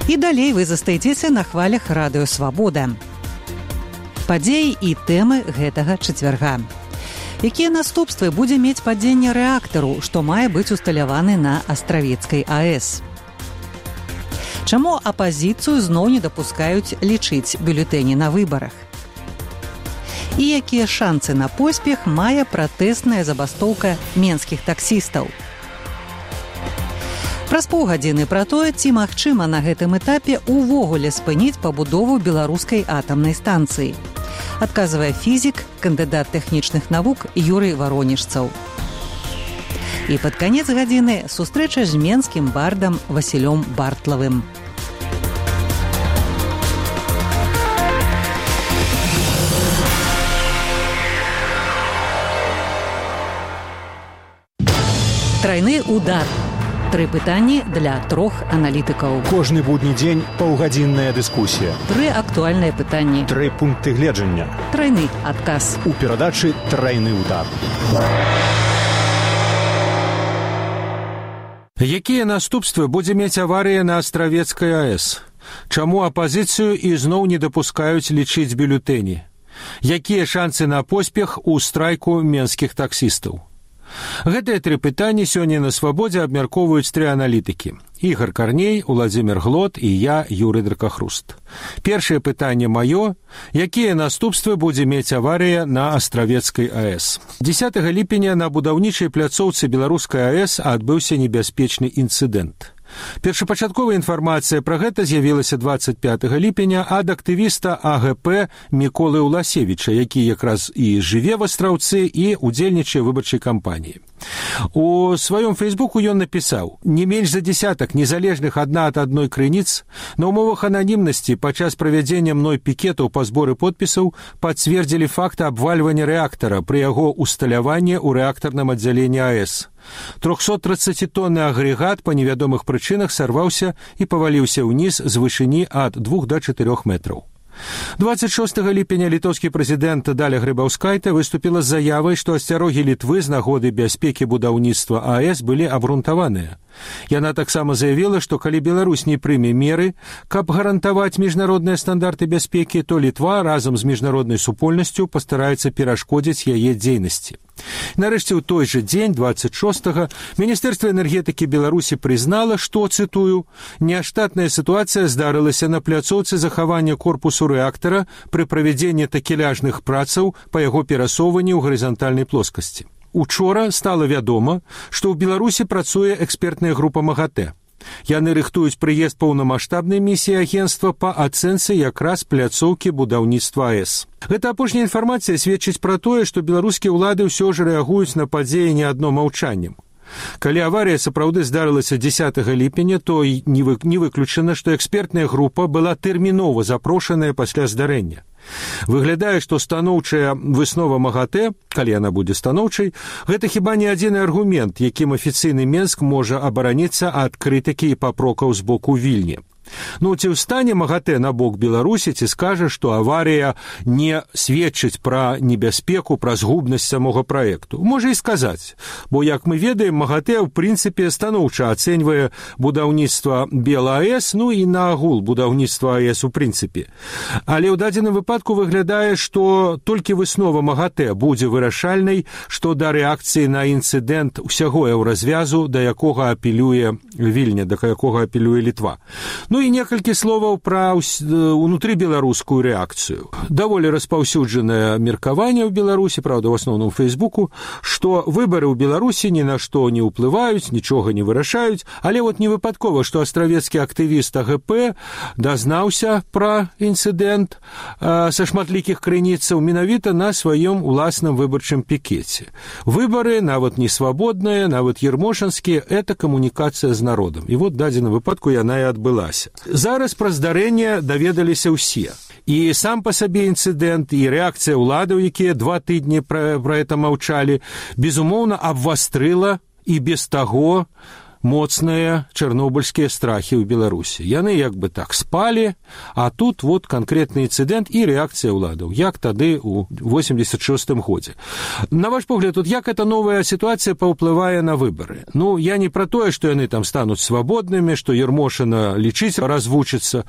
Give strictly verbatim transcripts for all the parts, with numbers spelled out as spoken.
І далей вы застаецеся на хвалях радыё «Свабода». Падзеі і тэмы гэтага чацвярга. Якія наступствы будзе мець падзенне рэактару, што мае быць усталяваны на Астравецкай АЭС? Чаму апазіцыю зноў не дапускаюць лічыць бюлетэні на выбарах? І якія шанцы на поспех мае пратэсная забастоўка менскіх таксістаў? Праз паўгадзіны пра тое, ці магчыма на гэтым этапе увогуле спыніць пабудову беларускай атамнай станцыі. Адказвае фізік, кандыдат тэхнічных навук Юрый Варонежцаў. І пад канец гадзіны сустрэча з менскім бардам Васілём Бартлавым. Трайны удар. Тры пытанні для трох аналітыкаў. Кожны будні дзень паўгадзінная дыскусія. Тры актуальныя пытанні. Тры пункты гледжання. Трайны адказ. У перадачы «Трайны удар». Якія наступствы будзе мець аварыя на Астравецкай АЭС? Чаму апазіцыю ізноў не дапускаюць лічыць бюлетэні? Якія шанцы на поспех у страйку менскіх таксістаў? Гэтыя тры пытанні сёння на «Свабодзе» абмяркоўваюць тры аналітыкі. Ігор Карней, Уладзімір Глот і я, Юрый Дракахруст. Першае пытанне маё. Якія наступствы будзе мець аварыя на Астравецкай АЭС? дзесятага ліпеня на будаўнічай пляцоўцы беларускай АЭС адбыўся небяспечны інцыдэнт. Першапачатковая інфармацыя пра гэта з'явілася дваццаць пятага ліпеня ад актывіста АГП Міколы Уласевіча, які якраз і жыве в Астраўцы і удзельнічае ў выбарчай кампаніі. У сваём фейсбуку ён напісаў: «Не менш за десятак незалежных адна ад адной крыніц на ўмовах ананімнасці падчас правядзення мной пікетаў па зборы подпісаў пацвердзілі факт абвальвання рэактара пры яго усталяванні ў рэактарным аддзяленні АЭС. трохсоттрыццацітонны агрэгат па невядомых прычынах сарваўся і паваліўся ўніз з вышыні ад двух да чатырох метраў». дваццаць шостага ліпеня літоўскі прэзідэнт Даля Грыбаўскайта выступіла з заявай, што асцярогі Літвы з нагоды бяспекі будаўніцтва АЭС былі абгрунтаваныя. Яна таксама заявіла, што калі Беларусь не прыме меры, каб гарантаваць міжнародныя стандарты бяспекі, то Літва разам з міжнароднай супольнасцю пастараецца перашкодзіць яе дзейнасці. Нарэшце, ў той жа дзень, дваццаць шостага, Міністэрства энергетыкі Беларусі прызнала, што, цытую, «няштатная сітуацыя здарылася на пляцоўцы захавання корпусу рэактара пры правядзенні такеляжных працаў па яго перасоўванні ў гарызантальнай плоскасці». Учора стала вядома, што ў Беларусі працуе экспертная група МАГАТЭ. Яны рыхтуюць прыезд паўнамаштабнай місіі агенцтва па ацэнцы якраз пляцоўкі будаўніцтва АЭС. Гэта апошняя інфармацыя сведчыць пра тое, што беларускія ўлады ўсё ж рэагуюць на падзеі не адно маўчаннем. Калі аварія сапраўды здарылася дзесятага ліпеня, то не выключана, што экспертная група была тэрмінова запрошаная пасля здарэння. Выглядае, што станоўчая выснова МАГАТЭ, калі яна будзе станоўчай, гэта хіба не адзіны аргумент, якім афіцыйны Менск можа абараніцца ад крытыкі і папрокаў з боку Вільні. Ну, ці ўстане МАГАТЭ на бок Беларусі, ці скажа, што аварыя не сведчыць пра небяспеку, пра згубнасць самога праекту? Можа і сказаць, бо, як мы ведаем, МАГАТЭ, ў прынцыпе, станоўча ацэньвае будаўніцтва БелАЭС, ну і наагул будаўніцтва АЭС у прынцыпе. Але ў дадзеным выпадку выглядае, што толькі выснова МАГАТЭ будзе вырашальнай, што да рэакцыі на інцыдэнт усяго еўразвязу, да якога апелюе Вільня, да якога апелюе Літва. Ну і некалькі словаў пра унутрыбеларускую рэакцыю. Даволі распаўсюджанае меркаванне ў Беларусі, правда, ў асноўным Фейсбуку, што выбары ў Беларусі ні на што не ўплываюць, нічога не вырашаюць, але вот не выпадкова, што астравецкі актывіст АГП дазнаўся пра інцыдэнт э, са шматлікіх крыніцаў менавіта на сваём уласным выбарчым пікеце. Выбары, нават не свабодныя, нават ермошанскія, это камунікацыя з народам. І вот дадзеным выпадку яна і адбылася. Зараз пра здарэнне даведаліся ўсе. І сам па сабе інцыдэнт, і рэакцыя ўладаў, якія два тыдні пра, пра это маўчалі, безумоўна, абвастрыла і без таго моцныя чарнобыльскія страхі ў Беларусі. Яны як бы так спалі, а тут вот канкрэтны інцыдэнт і рэакцыя ўладаў, як тады ў восемьдесят шостым годзе. На ваш погляд, тут як эта новая сітуацыя паўплывае на выбары? Ну, я не пра тое, што яны там стануць свабоднымі, што Ермошына лічыць развучыцца,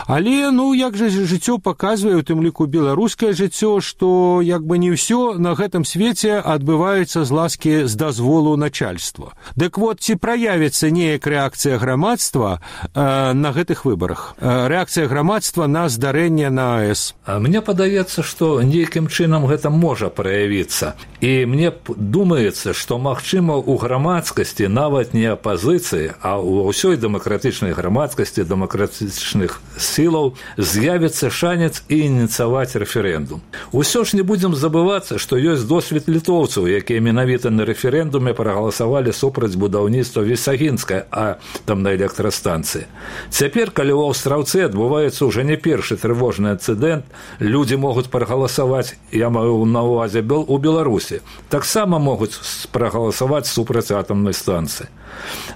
але, ну, як жа жыццё паказвае, у тым ліку беларускае жыццё, што як бы не ўсё на гэтым свеце адбываецца з ласкі з дазволу начальства. Дык вот, ці праявіцца неяк рэакцыя грамадства э, на гэтых выбарах? Э, рэакцыя грамадства на здарэнне на АЭС? А мне падаецца, што нейкім чынам гэта можа праявіцца. І мне думаецца, што, магчыма, у грамадскасці, нават не апазіцыі, а ў ўсёй дэмакратычнай грамадскасці, дэмакратычных сілаў з'явіцца шанец і ініцыяваць рэферэндум. Усё ж не будзем забывацца, што ёсць досвед літоўцаў, якія менавіта на рэферэндуме прагаласавалі супраць будаўніцтва Вісагінскай атамнай электрастанцыі. Цяпер, калі ў Аўстраўцы адбываецца ўжо не першы трывожны інцыдэнт, людзі могуць прагаласаваць, я маю на ўвазе у Беларусі, таксама могуць прагаласаваць супраць атамнай станцыі.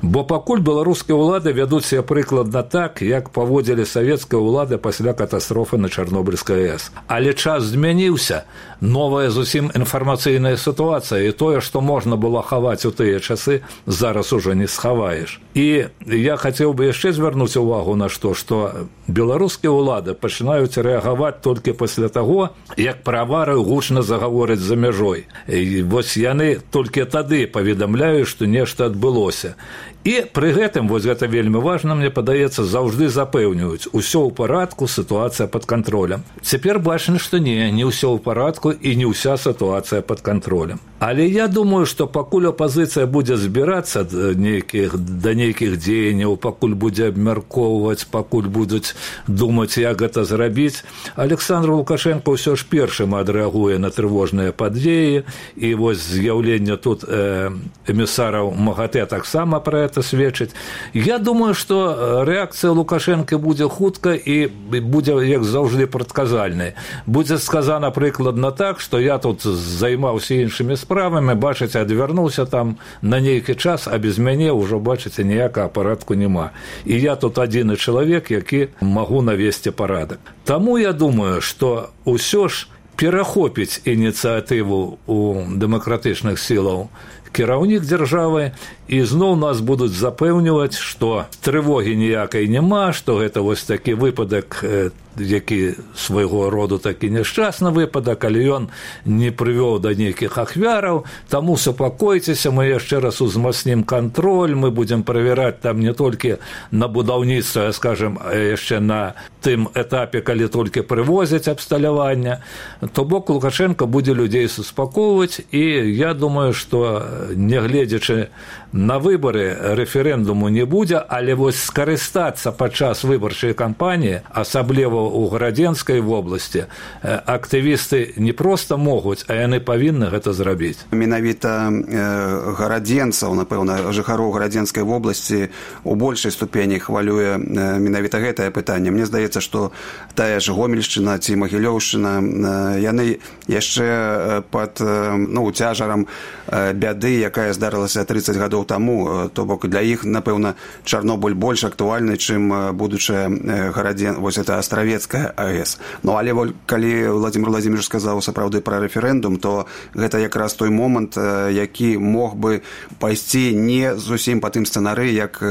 Бо пакуль беларускія ўлады вядуць себе прыкладна так, як паводзілі савецкія ўлады пасля катастрофы на Чарнобыльскай АЭС. Але час змяніўся, новая зусім інфармацыйная сітуацыя, і тое, што можна было хаваць у тыя часы, зараз ужо не схаваеш. І я хацеў бы яшчэ звярнуць увагу на што, што беларускія ўлады пачынаюць рэагаваць толькі пасля таго, як пра аварыю гучна загавораць за мяжой. І вось яны толькі тады паведамляюць, што нешта адбылося. І пры гэтым, вось гэта вельмі важна, мне падаецца, заўжды запэўніваюць, усё ў парадку, сітуацыя пад кантролем. Цяпер бачна, што не, не ўсё ў парадку і не ўся сітуацыя пад кантролем. Але я думаю, што пакуль апазіцыя будзе збірацца да нейкіх, да нейкіх дзеянняў, пакуль будзе абмяркоўваць, пакуль будуць думаць, як гэта зрабіць, Александр Лукашенко ўсё ж першым адрэагуе на трывожныя падзеі, і вось з'яўленне тут э, эмісараў МАГАТЭ таксама пра гэта сведчыць. Я думаю, што рэакцыя Лукашенко будзе хутка і будзе, як заўжды, прадказальнай. Будзе сказана прыкладна так, што я тут займаўся іншымі справамі, бачыце, адвярнуўся там на нейкі час, а без мяне ўжо, бачыце, ніякага парадку няма. І я тут адзіны чалавек, які магу навесці парадак. Таму я думаю, што ўсё ж перахопіць ініцыятыву у дэмакратычных сілаў кіраўнік дзяржавы, і зноў нас будуць запэўніваць, што трывогі ніякай няма, што гэта вось такі выпадак, які свайго роду такі няшчасны выпадак, але ён не прывёў да нейкіх ахвяраў, таму супакойцеся, мы яшчэ раз узмацнім кантроль, мы будзем правяраць там не толькі на будаўніцтва, а, скажем, яшчэ на тым этапе, калі толькі прывозяць абсталяванне. То бок Лукашенко будзе людзей суспакоўваць, і я думаю, што нягледзячы на выбары рэферэндуму не будзе, але вось скарыстацца падчас выбарчай кампаніі, асабліва ў Гарадзенскай вобласці, актывісты не проста могуць, а яны павінны гэта зрабіць. Менавіта гарадзенцаў, напэўна, жыхароў Гарадзенскай вобласці у большай ступені хвалюе менавіта гэтае пытанне. Мне здаецца, што тая ж Гомельшчына ці Магілёўшчына, яны яшчэ пад, ну, цяжарам бяды, якая здарылася трыццаць гадоў таму, то бок для іх, напэўна, Чарнобыль больш актуальны, чым будучая Гарадзен, вось это Астравецкая АЭС. Ну, але калі Владимир Владимирович сказаў сапраўды пра рэферэндум, то гэта якраз той момант, які мог бы пайсці не зусім па тым сцэнары, як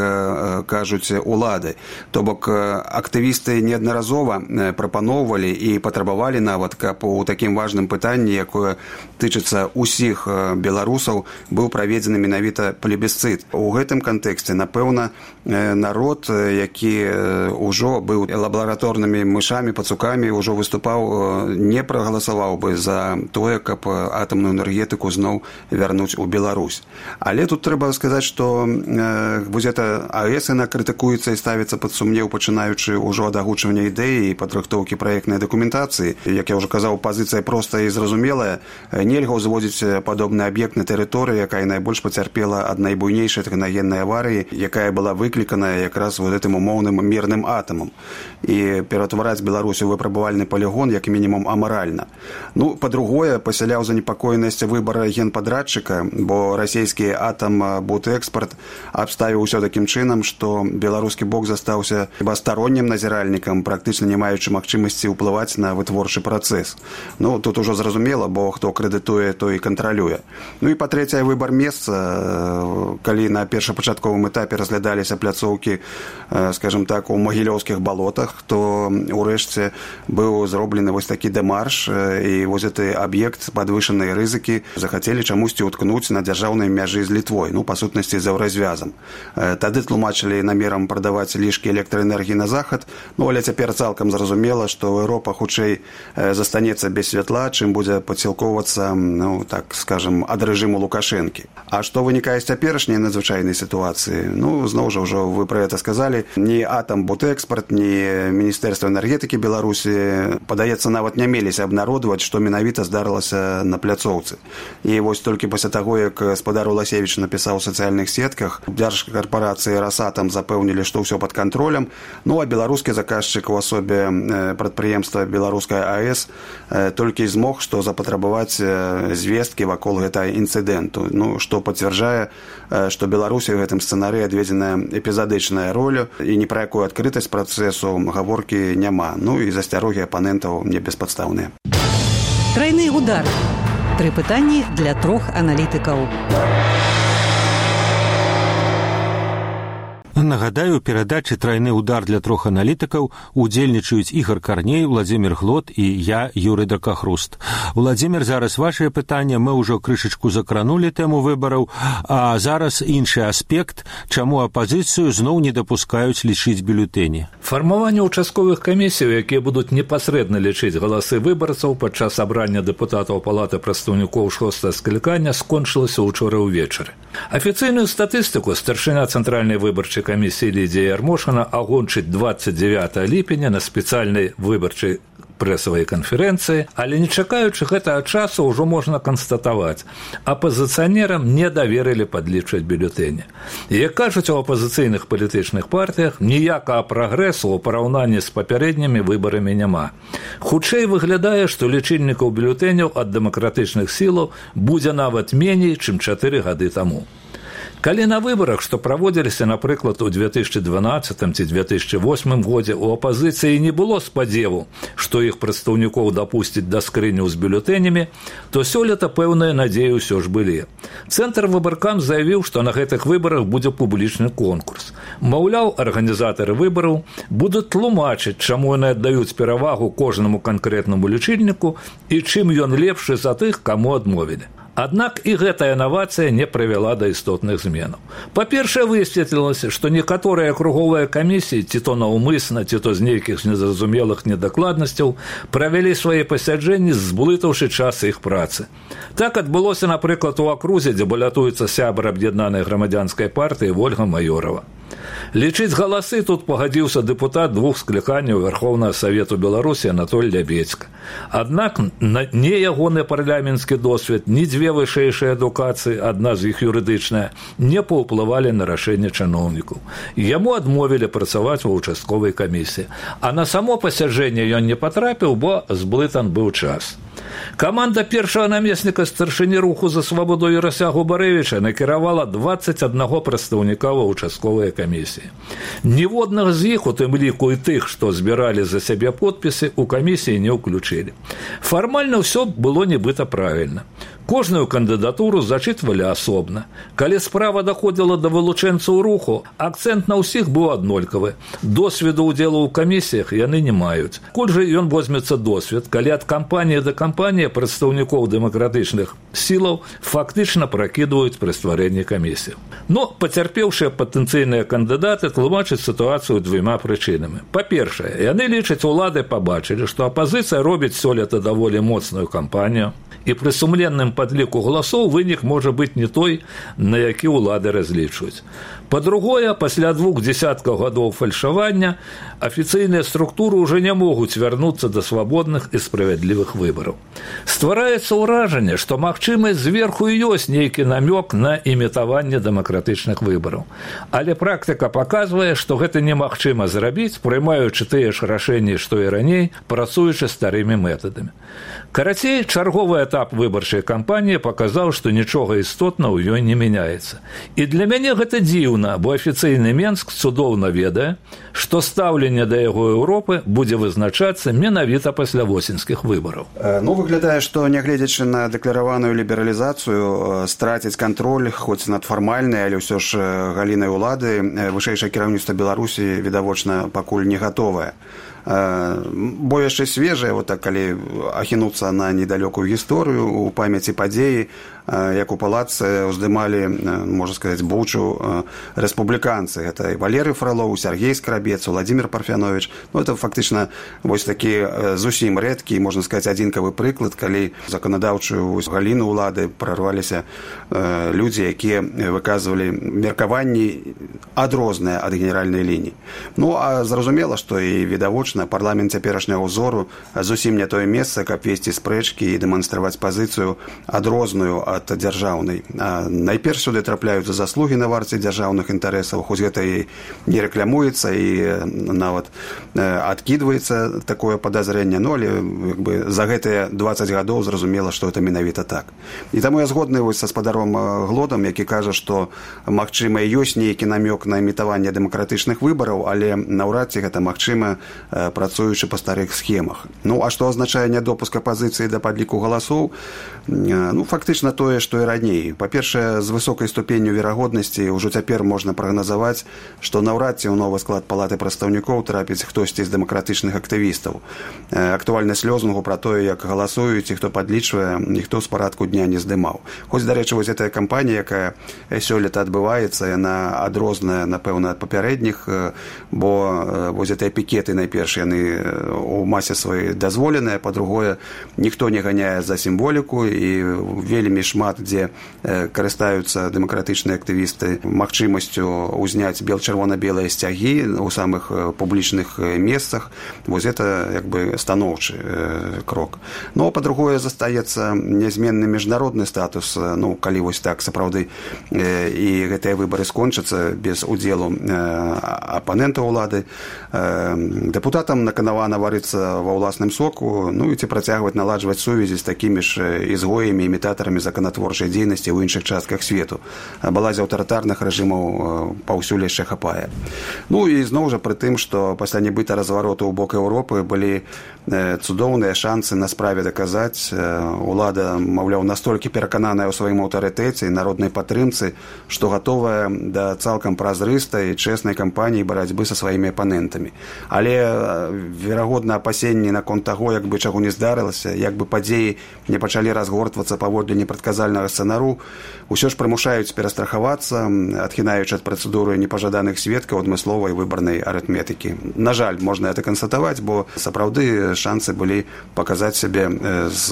кажуць улады. То бок актывісты неаднаразова прапаноўвалі і патрабавалі нават, каб у такім важным пытанні, якое тычыцца ўсіх беларусаў, быў праведзены менавіта плебісцыт. У гэтым кантэксце, напэўна, народ, які ўжо быў лабараторнымі мышамі, пацукамі, ўжо выступаў, не прагаласаваў бы за тое, каб атамную энергетыку зноў вярнуць у Беларусь. Але тут трэба сказаць, што вось гэта АЭС, яна крытыкуецца і ставіцца пад сумнеў, пачынаючы ўжо ад агучвання ідэі і падрыхтоўкі праектнай дакументацыі. Як я ўжо казаў, пазіцыя проста і зразумелая. Нельга ўзводзіць падобны аб'ект на тэрыторыі, якая найбольш пацярпела ад найбуйнейшай тэхнагеннай аварыі, якая была выкліканая якраз вот гэтым умоўным мірным атамам. І ператвараць Беларусь у выпрабавальны полігон як мінімум амаральна. Ну, па-другое, пасяляў занепакоенасць выбара генпадрадчыка, бо расійскі атам Бутэкспарт абставіў усё такім чынам, што беларускі бок застаўся стороннім назіральнікам, практычна не маючы магчымасці ўплываць на вытворчы працэс. Ну, тут ужо зразумела, бо хто крэдытуе, той і кантралюе. Ну і па-трэцяе, выбар месца, калі на першапачатковым этапе разглядаліся пляцоўкі, скажем так, у магілёўскіх балотах, то урэшце быў зроблены вось такі дэмарш, і вось гэты аб'ект падвышанай рызыкі захацелі чамусьці ўткнуць на дзяржаўнай мяжы з Літвой, ну, па сутнасці за ўразвязам. Тады тлумачылі намерам прадаваць лішкі электраэнергіі на захад, ну, але цяпер цалкам зразумела, што Еўропа хутчэй застанецца без святла, чым будзе падсілкоўвацца, ну, так скажем, ад рэжыму Лукашэнкі. А што вынікае з цяперашняй надзвычайнай сітуацыі? Ну, зноў жа, ўжо вы пра гэта сказалі, ні атам Бутэкспарт, ні Міністэрства энергетыкі Беларусі, падаецца, нават не меліся абнародваць, што менавіта здарылася на пляцоўцы. І вось толькі пасля таго, як спадар Уласевіч напісаў у сацыяльных сетках, дзяржкарпарацыі «Росатом» запэўнілі, што ўсё пад кантролем, ну, а беларускі заказчык у асобе прадпрыемства «Беларуская АЭС» толькі змог, што запатрабаваць звесткі вакол гэтага інцыдэнту, ну, што пацвярджае, што Беларусі ў гэтым сцэнарыі адведзеная эпізадычная роля і ні пра якую адкрытасць працэсу гаворкі няма. Ну і засцярогі апанентаў не беспадстаўныя. Трайны удар. Тры пытанні для трох аналітыкаў. Нагадаю, у перадачы «Трайны удар» для трох аналітыкаў удзельнічаюць Ігор Карней, Владзімір Глот і я, Юрый Дракахруст. Владзімір, зараз вашае пытанне, мы ўжо крышачку закранулі тэму выбараў, а зараз іншы аспект, чаму апазіцыю зноў не дапускаюць лічыць бюлетэні. Фармаванне ўчастковых камісій, якія будуць непасрэдна лічыць галасы выбарцаў падчас абрання дэпутатаў Палаты прадстаўнікоў шостага склікання, скончылася ўчора ўвечары. Афіцыйную статыстыку старшыня Цэнтральнай выбарчай камісіі Лідія Ярмошына агончыць двадцать девятого ліпеня на спецыяльнай выбарчай прэсавай канферэнцыі, але не чакаючы гэтага часу ўжо можна канстатаваць, апазіцыянерам не даверылі падлічваць бюлетэні. Як кажуць у апазіцыйных палітычных партыях, ніякага прагрэсу ў параўнанні з папярэднімі выбарамі няма. Хутчэй выглядае, што лічыльнікаў бюлетэняў ад дэмакратычных сілаў будзе нават меней, чым чатыры гады таму. Калі на выбарах, што праводзіліся, напрыклад, у две тысячи дванаццатым ці две тысячи восьмым годзе, у апазіцыі не было спадзеву, што іх прадстаўнікоў дапусцяць да скрыняў з бюлетэнямі, то сёлета пэўныя надзеі ўсё ж былі. Цэнтр выбаркам заявіў, што на гэтых выбарах будзе публічны конкурс. Маўляў, арганізатары выбараў будуць тлумачыць, чаму яны аддаюць перавагу кожнаму канкрэтнаму лічыльніку і чым ён лепшы за тых, каму адмовілі. Аднак і гэтая інавацыя не прывяла да істотных зменаў. Па-першае, высветлілася, што некаторыя акруговыя камісіі, ці то наўмысна, ці то з нейкіх незразумелых недакладнасцяў, правялі свае пасяджэнні, зблытаўшы час іх працы. Так адбылося, напрыклад, у акрузе, дзе балятуецца сябар аб'яднанай грамадзянскай партыі Вольга Маёрова. Лічыць галасы тут пагадзіўся дэпутат двух скліканняў Верховнага Савету Беларусі Анатоль Лябецька. Аднак не ягоны парламенtsкі досвед, ні дзве вышэйшыя адукацыі, адна з іх юрыдычная, не паўплывалі на рашэнне чыноўнікаў. Яму адмовілі працаваць ва ўчастковай камісіі, а на само пасяджэнне ён не патрапіў, бо зблытан быў час. Каманда першага намесніка старшыні руху за свабоду Ярася Губарэвіча накіравала двадцать аднаго прадстаўніка ва ўчастковыя камісіі. Ніводнага з іх, у тым ліку і тых, што збіралі за сябе подпісы, у камісіі не ўключылі. Фармальна ўсё было нібыта правільна. Кожную кандыдатуру зачытвалі асобна. Калі справа даходзіла да вылучэнцаў руху, акцэнт на ўсіх быў аднолькавы. Досведу ўдзелу ў камісіях яны не маюць. Коль жа ён возьмецца досвед, калі ад кампаніі да кампаніі прадстаўнікоў дэмакратычных сілаў фактычна пракідваюць пры стварэнні камісіяў. Но пацярпеўшыя патэнцыйныя кандыдаты тлумачаць сітуацыю двума прычынамі. Па-першае, яны лічаць, улады пабачылі, што апазіцыя робіць сёлета даволі моцную кампанію, І пры сумленным падліку галасоў вынік можа быць не той, на які ўлады разлічваюць. Па-другое, пасля двух дзесяткаў гадоў фальшавання афіцыйныя структуры ўжо не могуць вярнуцца да свабодных і справядлівых выбараў. Ствараецца ўражанне, што магчымы зверху ёсць нейкі намёк на імітаванне дэмакратычных выбараў. Але практыка паказвае, што гэта немагчыма зрабіць, прымаючы тыя ж рашэнні, што і раней, працуючы старымі метадамі. Карацей, чарговы этап выбарчай кампаніі паказаў, што нічога істотна ў ёй не мяняецца. І для мяне гэта дзіўна, бо афіцыйны Менск цудоўна ведае, што стаўленне да яго Еўропы будзе вызначацца менавіта пасля восеньскіх выбараў. Ну, выглядае, што, нягледзячы на дэклараваную лібералізацыю, страціць кантроль, хоць над фармальнай, але ўсё ж галінай улады, вышэйшае кіраўніцтва Беларусі, відавочна, пакуль не гатовае. Бо яшчэ свежае, вот так, калі ахінуцца на недалёкую гісторыю, у памяці падзеі, як у палацы уздымалі, можна сказаць, бучу рэспубліканцы. Гэта і Валерый Фролоў, Сергей Скрабец, Владимир Парфянович. Ну, это фактычна вось такі зусім рэдкі, можна сказаць, адзінкавы прыклад, калі заканадаўчую галіну ўлады прарваліся людзі, якія выказвалі меркаванні адрозныя ад генеральнай лініі. Ну, а зразумела, што і відавочна парламент цяперашняга ўзору зусім не тое месца, каб весці спрэчкі і дэманстраваць пазіцыю адрозную ад дзяржаўнай. Найперш сюды трапляюцца заслугі на варце дзяржаўных інтарэсаў, хоць гэта і не рэклямуецца, і нават адкідваецца такое падазрэнне, ну, але як бы, за гэтыя дваццаць гадоў зразумела, што гэта менавіта так. І таму я згодны вось са спадаром Глодам, які кажа, што магчыма ёсць нейкі намёк на імітаванне дэмакратычных выбараў, але наўрад ці гэта магчыма, працуючы па старых схемах. Ну, а што азначае нядопуск апазіцыі да падліку галасоў? Ну, фактычна тое, што і раней. Па-першае, з высокай ступенню верагоднасці ўжо цяпер можна прагназаваць, што наўрад ці ў новы склад палаты прадстаўнікоў трапіць хтосьці з дэмакратычных актывістаў. Актуальнасць лозунгу пра тое, як галасуюць і хто падлічвае, ніхто з парадку дня не здымаў. Хоць, дарэчы, вось гэтая кампанія, якая сёлета адбываецца, яна адрозная, напэўна, ад папярэдніх, бо вось гэтыя пікеты найперш яны у масе сваёй дазволеныя, па-другое, ніхто не ганяе за сімволіку, і вельмі шмат, дзе карыстаюцца дэмакратычныя актывісты магчымасцю ўзняць бел-чырвона-белыя сцягі ў самых публічных месцах. Вось гэта як бы станоўчы крок. Ну, а па-другое, застаецца нязменны міжнародны статус. Ну, калі вось так сапраўды і гэтыя выбары скончацца без удзелу апанентаў улады, дэпутатам наканавана варыцца ва ўласным соку, ну і ці працягваць наладжваць сувязі з такімі ж ізгоямі, імітатарамі законатворчай дзейнасці ў іншых частках свету. Балазе аўтарытарных рэжымаў паўсюль яшчэ хапае. Ну і зноў жа пры тым, што пасля нібыта развароту ў бок Еўропы былі цудоўныя шансы на справе даказаць. Улада, маўляў, настолькі перакананая ў сваім аўтарытэце і народнай падтрымцы, што гатовая да цалкам празрыстай і чэснай кампаніі барацьбы са сваімі апанентамі. Але, верагодна, апасенні наконт таго, як бы чаго не здарылася, як бы падзеі не пачалі разгортвацца паводле непрадказальнага сцэнару, усё ж прымушаюць перастрахавацца, адхінаючы ад працэдуры непажаданых сведкаў адмысловай выбарнай арытметыкі. На жаль, можна гэта канстатаваць, бо сапраўды шансы былі паказаць сябе з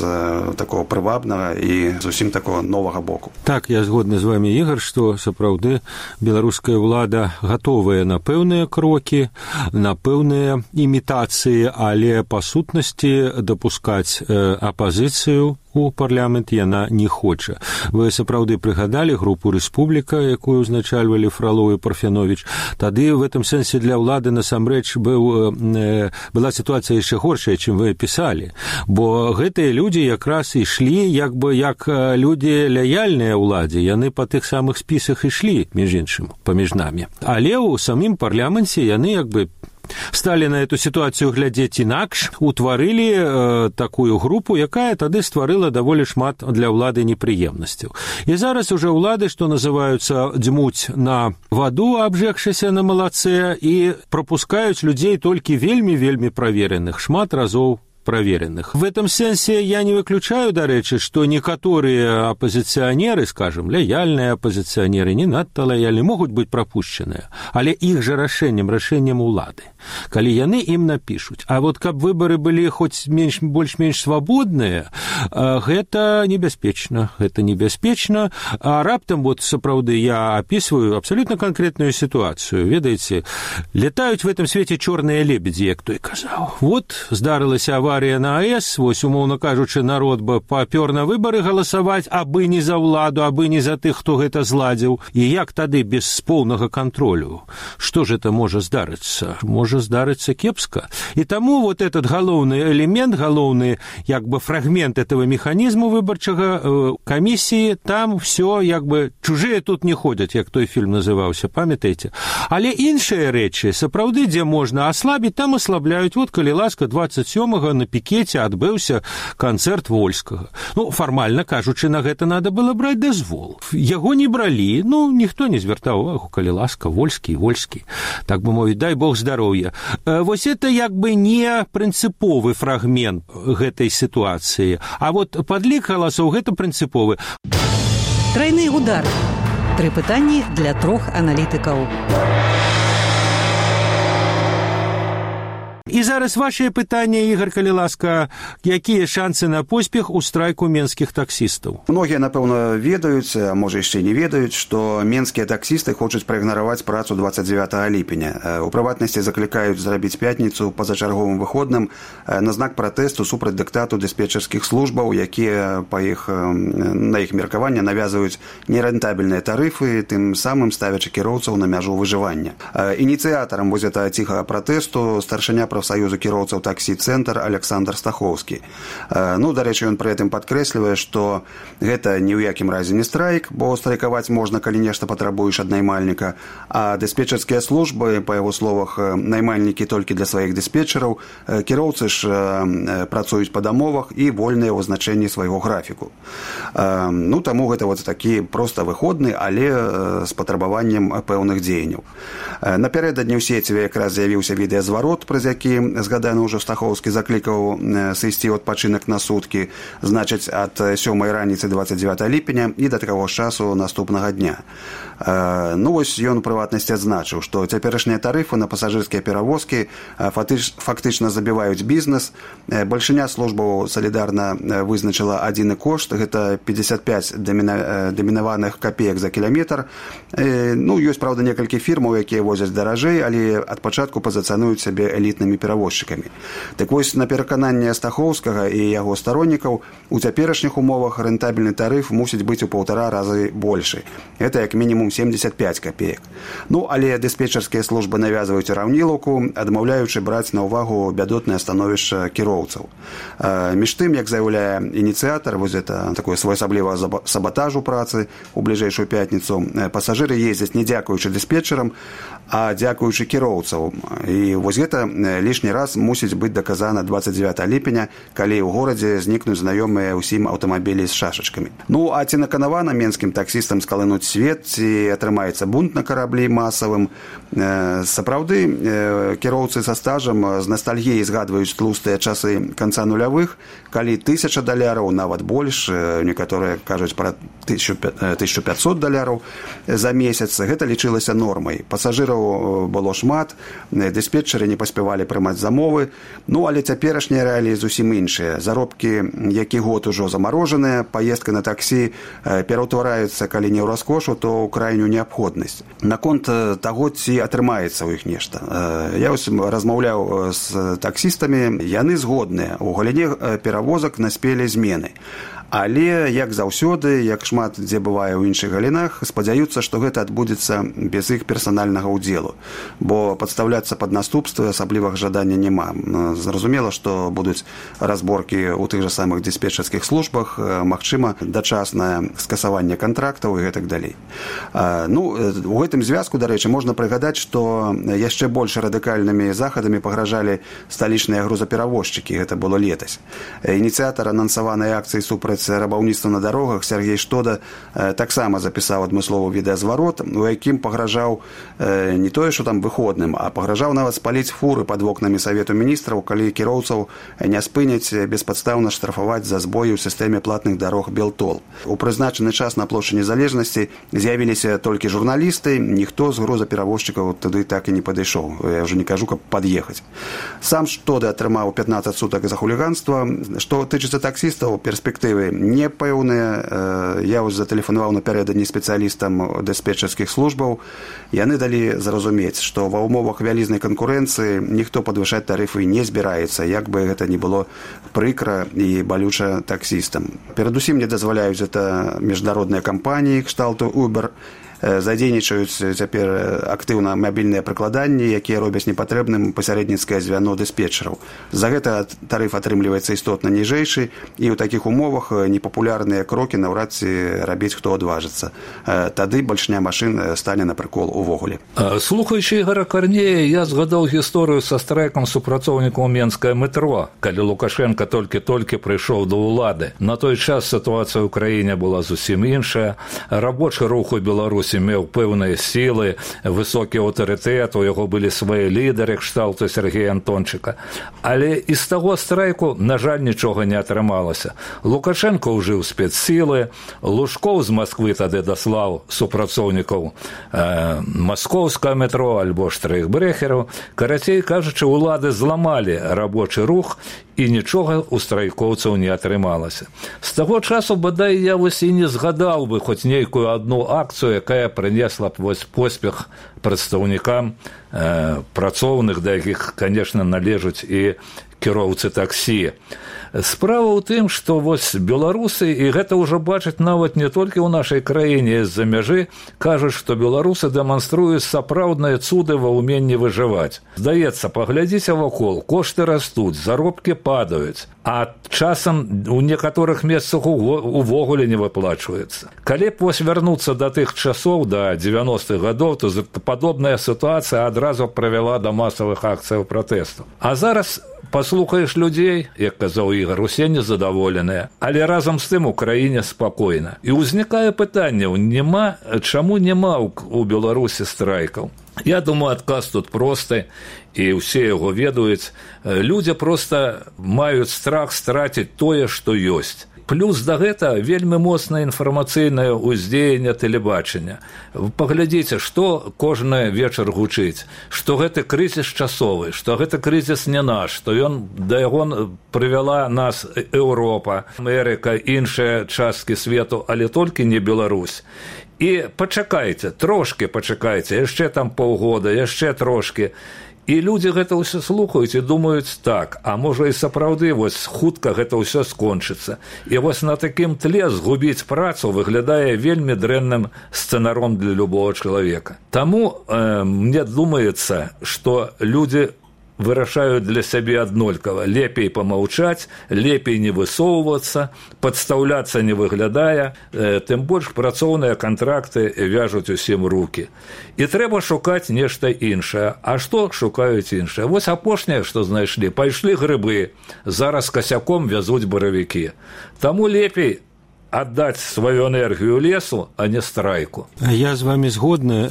такого прывабнага і зусім такого новага боку. Так, я згодны з вами, Ігор, што сапраўды беларуская ўлада гатовая на пэўныя крокі, на пэўныя імітацыі, але па сутнасці дапускаць апазіцыю у парламент яна не хоча. Вы сапраўды прыгадалі групу «Рэспубліка», якую узначальвалі Фролоў і Парфянович. Тады в этом сэнсе для ўлады насамрэч быў, э, была сітуацыя яшчэ горшая, чым вы пісалі. Бо гэтыя людзі якраз ішлі як бы як людзі лаяльныя ўладзе. Яны па тых самых спісах ішлі, між іншым, паміж намі. Але ў самім парламенце яны як бы сталі на эту сітуацыю глядзець інакш, утварылі э, такую групу, якая тады стварыла даволі шмат для ўлады непрыемнасцяў. І зараз уже ўлады, што называюцца, дзьмуць на ваду, абжэгшыся на малацэ, і прапускаюць людзей толькі вельмі-вельмі правереных, шмат разоў проверенных. В этом сенсе я не выключаю, до речи, что некоторые оппозиционеры, скажем, лояльные оппозиционеры, не надто лояльные, могут быть пропущенные, але их же решением, решением улады. Коли яны им напишут. А вот как выборы были хоть меньше, больше-меньше свободные, это небеспечно. Это небеспечно. А раптом, вот, сапраўды, я описываю абсолютно конкретную ситуацию. Ведаете, летают в этом свете черные лебеди, як той казал. Вот, здарылася авария на АЭС, вось, умоўна кажучы, народ бы папёр на выборы галасаваць, абы не за ўладу, абы не за тых, хто гэта зладзіў. І як тады без поўнага контролю? Што ж это можа здарыцца? Можа здарыцца кепска. І таму вот этот галоўны элемент, галоўны, як бы, фрагмент этого механізму выбарчага э, камісіі, там все, як бы, чужыя тут не ходзяць, як той фільм называўся, памятаеце? Але іншыя рэчы, сапраўды, дзе можна аслабіць, там аслабляюць. Вот, калі ласка, двадцать сёмага на пікеце адбыўся канцэрт Вольскага. Ну, фармальна кажучы, на гэта надо было браць дазвол. Яго не бралі, ну, ніхто не звяртаў увагу, калі ласка, Вольскі, Вольскі. Так бы мовіць, дай Бог здароўя. Вось это як бы не прынцыповы фрагмент гэтай сітуацыі, а вот падлік галасоў гэта прынцыповы. Трайны удар. Тры пытанні для трох аналітыкаў. І зараз вашее пытанне, Ігор, калі ласка, якія шансы на поспех у страйку менскіх таксістаў? Многія, напэўна, ведаюць, а можа яшчэ не ведаюць, што менскія таксісты хочуць праігнараваць працу двадцать девятого ліпеня. У прыватнасці заклікаюць зрабіць пятніцу пазачарговым выходным на знак пратэсту супраць дыктату дыспетчарскіх службаў, якія па іх, на іх меркаванне навязваюць нерэнтабельныя тарыфы, тым самым ставячы кіроўцаў на мяжу выжывання. Ініцыятарам вось гэтага ціхага пратэсту старшыня прафсаюза кіроўцаў таксі-цэнтр Александр Стахоўскі. Ну, дарэчы, ён пры гэтым падкрэслівае, што гэта ні ў якім разе не страйк, бо страйкаваць можна, калі нешта патрабуеш ад наймальніка, а дыспетчарскія службы, па яго словах, наймальнікі толькі для сваіх дыспетчараў, кіроўцы ж працуюць па дамовах і вольныя ў значэнні свайго графіку. Ну, таму гэта вот такі проста выходны, але з патрабаваннем пэўных дзеянняў. Напярэдадні ў сеціве якраз з'явіўся відэазварот, праз які згаданы ўжо Стахоўскі заклікаў сысці ў адпачынак на суткі, значыць, ад сёмай раніцы двадцать девятого ліпеня і да такого ж часу наступнага дня. Ну, вось ён у прыватнасці адзначыў, што цяперашнія тарыфы на пасажырскія перавозкі фактычна забіваюць бізнес. Бальшыня службаў салідарна вызначыла адзіны кошт, гэта пятьдесят пять дамінаваных капеек за кіламетр. Ну, ёсць, правда, некалькі фірмаў, якія возяць даражэй, але ад пачатку пазіцыянуюць сябе элітнымі перавозчыкамі. Так вось, на перакананне Стахоўскага і яго староннікаў, у цяперашніх умовах рэнтабельны тарыф мусіць быць у паўтара разы большы. Гэта як мінімум семьдесят пять копеек. Ну, але дыспетчарскія службы навязваюць раўнілаўку, адмаўляючы браць на ўвагу бядотнае становішча кіроўцаў. Між тым, як заяўляе ініцыятар, вось гэта такое своеасаблівага саботажу працы у бліжэйшую пятніцу, пасажыры ездзяць не дзякуючы дыспетчарам, а дзякуючы кіроўцаў. І вось гэта лішні раз мусіць быць даказана двадцать девятого ліпеня, калі ў горадзе знікнуць знаёмыя ўсім аўтамабілі з шашачкамі. Ну, а ці наканавана менскім таксістам скалынуць свет, ці атрымаецца бунт на караблі масавым? Сапраўды, кіроўцы са стажам з ностальгіяй згадваюць тлустыя часы канца нулявых, калі тысяча даляраў, нават больш, некаторыя кажуць пра тысячу пятьсот даляраў за месяц, гэта лічылася нормай. Пасажыраў было шмат, дыспетчары не паспявалі прымаць замовы, ну, але цяперашнія рэаліі зусім іншыя. Заробкі, які год ужо замарожаныя, паездка на таксі пераўтвараюцца, калі не ў раскошу, то ў крайнюю неабходнасць. Наконт таго, ці атрымаецца ў іх нешта. Я ось размаўляў з таксістамі, яны згодныя. У галіне перавозак наспелі змены. Але, як заўсёды, як шмат дзе бывае ў іншых галінах, спадзяюцца, што гэта адбудзецца без іх персанальнага ўдзелу, бо падстаўляцца пад наступствы асаблівага жадання няма. Зразумела, што будуць разборкі ў тых жа самых дыспетчарскіх службах, магчыма, дачаснае скасаванне кантрактаў і гэтак далей. Ну, у гэтым звязку, дарэчы, можна прыгадаць, што яшчэ больш радыкальнымі захадамі пагражалі сталічныя грузаперавозчыкі, гэта было летась. Ініцыятар анансаванай акцыі супраць супраць рабаўніцтва на дарогах, Сергей Штода таксама запісаў адмысловы відэазварот, у якім пагражаў не тое, што там выходным, а пагражаў нават спаліць фуры пад вокнамі Савету міністраў, калі кіроўцаў не спыняць беспадстаўна штрафаваць за збоі ў сістэме платных дарог Белтол. У прызначаны час на плошчы Незалежнасці з'явіліся толькі журналісты, ніхто з грузаперавозчыкаў туды так і не падышоў. Я ўжо не кажу, каб пад'ехаць. Сам Штода атрымаў пятнаццаць сутак за хуліганства. Што тычыцца таксістаў, перспектывы непэўныя. Я вось затэлефанаваў напярэдадні спецыялістам дыспетчарскіх службаў. Яны далі зразумець, што ва ўмовах вялізнай канкурэнцыі ніхто падвышаць тарыфы не збіраецца, як бы гэта не было прыкра і балюча таксістам. Перадусім не дазваляюць гэта міжнародныя кампаніі кшталту Uber. Задзейнічаюць цяпер актыўна мабільныя прыкладанні, якія робяць непатрэбным пасярэдніцкае звяно дыспетчараў. За гэта тарыф атрымліваецца істотна ніжэйшы, і ў такіх умовах непапулярныя крокі наўрад ці рабіць хто адважыцца. Тады бальшня машын стане на прыкол увогуле. Слухаючы Ігора Карнея, я згадаў гісторыю са страйкам супрацоўнікаў Менскае метро, калі Лукашенко толькі-толькі прыйшоў да ўлады. На той час сітуацыя ў краіне была зусім іншая. Рабочы рух у Беларусі меў пэўныя сілы, высокі аўтарытэт, у яго былі свае лідары кшталту Сергея Антончыка. Але і з таго страйку, на жаль, нічога не атрымалася. Лукашенко ўжыў спецсілы, Лужкоў з Масквы тады даслаў супрацоўнікаў э, маскоўскае метро альбо штрейхбрэхераў. Карацей кажучы, улады зламалі рабочы рух, і нічога ў страйкоўцаў не атрымалася. З таго часу, бадай, я вось і не згадаў бы хоць нейкую адну акцыю, якая прынесла б вось поспех прадстаўнікам э, працоўных, да якіх, канешне, належаць і кіроўцы таксі. Справа ў тым, што вось беларусы, і гэта ўжо бачаць нават не толькі ў нашай краіне з-за мяжы, кажуць, што беларусы дэманструюць сапраўдныя цуды ва ўменні выжываць. Здаецца, паглядзіце вакол, кошты растуць, заробкі падаюць, а часам у некаторых месцах увогуле не выплачваецца. Калі б вось вярнуцца да тых часоў, да дзевяностых гадоў, то падобная сітуацыя адразу правяла да масавых акцыяў пратэсту. А зараз паслухаеш людзей, як казаў Ігар, усе незадаволеныя, але разам з тым у краіне спакойна. І ўзнікае пытанне, нема, чаму няма ў Беларусі страйкаў? Я думаю, адказ тут просты, і ўсе яго ведаюць. Людзі проста маюць страх страціць тое, што ёсць. Плюс да гэта вельмі моцнае інфармацыйнае ўздзеянне тэлебачання. Паглядзіце, што кожны вечар гучыць, што гэты крызіс часовы, што гэты крызіс не наш, што ён, да яго прывяла нас Еўропа, Амерыка, іншыя часткі свету, але толькі не Беларусь. І пачакайце, трошкі пачакайце, яшчэ там паўгода, яшчэ трошкі. І людзі гэта ўсё слухаюць і думаюць так, а можа і сапраўды вось хутка гэта ўсё скончыцца. І вось на такім тле згубіць працу выглядае вельмі дрэнным сцэнаром для любого чалавека. Таму э, мне думаецца, што людзі вырашаюць для сябе аднолькава. Лепей памаўчаць, лепей не высоўвацца, падстаўляцца не выглядае, э, тым больш працоўныя кантракты вяжуць усім рукі. І трэба шукаць нешта іншае. А што шукаюць іншае? Вось апошняе, што знайшлі, пайшлі грыбы, зараз касяком вязуць баравікі. Таму лепей аддаць сваю энергію лесу, а не страйку. Я з вами згодны,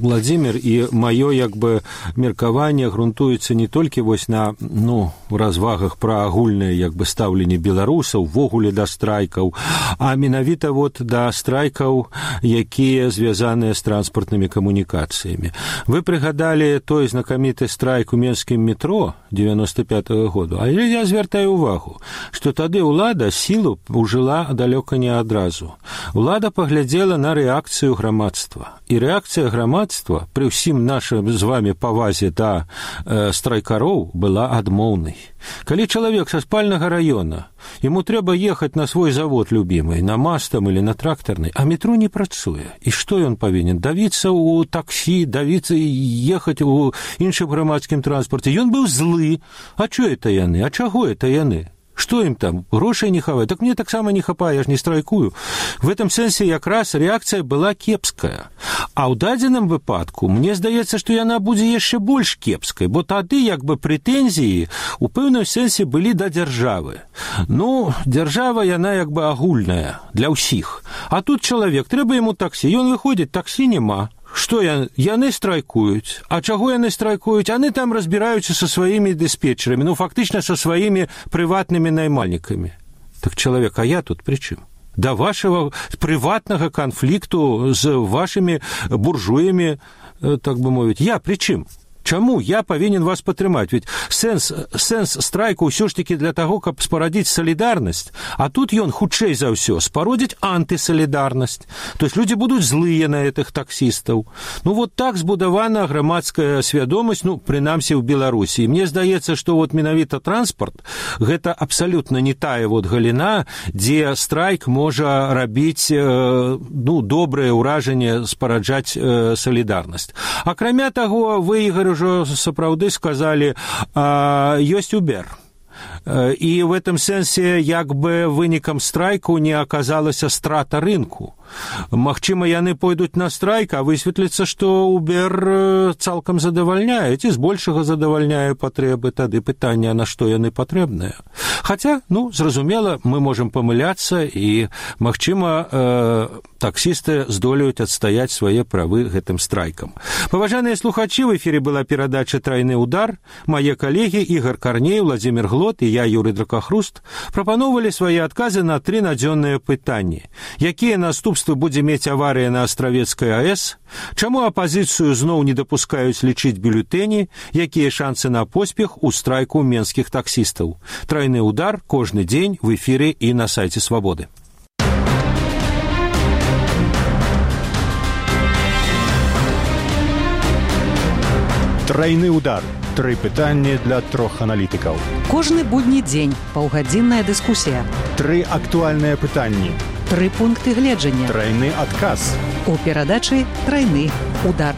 Владимир, і маё як бы меркаванне грунтуецца не толькі вось на ну, развагах пра агульнае як бы стаўленне беларусаў ввогуле да страйкаў, а менавіта вот да страйкаў, якія звязаныя з транспартнымі камунікацыямі. Вы прыгадалі той знакаміты страйк у менскім метро девяносто пятого году, але я звяртаю увагу, што тады ўлада сілу ўжыла далёка не адразу. Улада паглядзела на рэакцыю грамадства. І рэакцыя грамадства пры ўсім нашым з вами павазе да э, страйкароў была адмоўнай. Калі чалавек са спальнага раёна, яму трэба ехаць на свой завод любімы, на мастам или на трактарнай, а метро не працуе. І што ён павінен? Давіцца ў таксі, давіцца і ехаць у іншым грамадскім транспарце. Ён быў злы. А чё это яны? А чаго это яны? Што ім там, грошай не хавае? Так мне таксама не хапае, я ж не страйкую. В этом сэнсе якраз рэакцыя была кепская. А ў дадзеным выпадку, мне здаецца, што яна будзе яшчэ больш кепскай, бо тады як бы прэтэнзіі у пэўным сэнсе былі да дзяржавы. Ну, дзяржава, яна як бы агульная для ўсіх. А тут чалавек, трэба яму таксі, ён выходзіць, таксі няма. Што я, яны страйкуюць? А чаго яны страйкуюць? Яны там разбіраюцца са сваімі дыспетчерамі, ну, фактычна са сваімі прыватнымі наймальнікамі. Так чалавек, а я тут пры чым? Да вашего прыватнага канфлікту з вашымі буржуямі, так бы мовіць, я пры чым? Чаму я павінен вас падтрымаць? Ведь сэнс, сэнс страйку ўсё ж таки для таго, каб спарадзіць салідарнасць, а тут ён хутчэй за ўсё спародзіць антысалідарнасць. То есть людзі будуць злыя на гэтых таксістаў. Ну вот так збудавана грамадская свядомасць, ну, прынамсі ў Беларусі. І мне здаецца, што вот менавіта транспарт гэта абсалютна не тая вот галіна, дзе страйк можа рабіць ну, добрае ўражанне, спараджаць салідарнасць. Акрамя таго, вы, Ігор, ўжо сапраўды сказалі, ёсць Uber. І в этом сэнсе як бы вынікам страйку не аказалася страта рынку. Магчыма, яны пойдуць на страйк, а высветліцца, што Uber цалкам задавальняе, ці збольшага задавальняе патрэбы, тады пытанне, на што яны патрэбныя. Хаця, ну, зразумела, мы можам памыляцца, і, магчыма, э, таксісты здолеюць адстаяць свае правы гэтым страйкам. Паважаныя слухачы, в эфире была перадача «Трайны удар». Мае калегі Ігор Карней, Владзімір Глот і я, Юрый Дракахруст, прапаноўвалі свае адказы на тры надзённыя пытанні. Якія наступствы будзе мець аварыя на Астравецкай АЭС? Чаму апазіцыю зноў не дапускаюць лічыць бюлетэні? Якія шансы на поспех у страйку менскіх таксістаў? «Трайны удар» кожны дзень в эфире і на сайце Свабоды. Трайны удар. Тры пытанні для трох аналітыкаў. Кожны будні дзень паўгадзінная дыскусія. Тры актуальныя пытанні. Тры пункты гледжання. Трайны адказ. У перадачы «Трайны удар».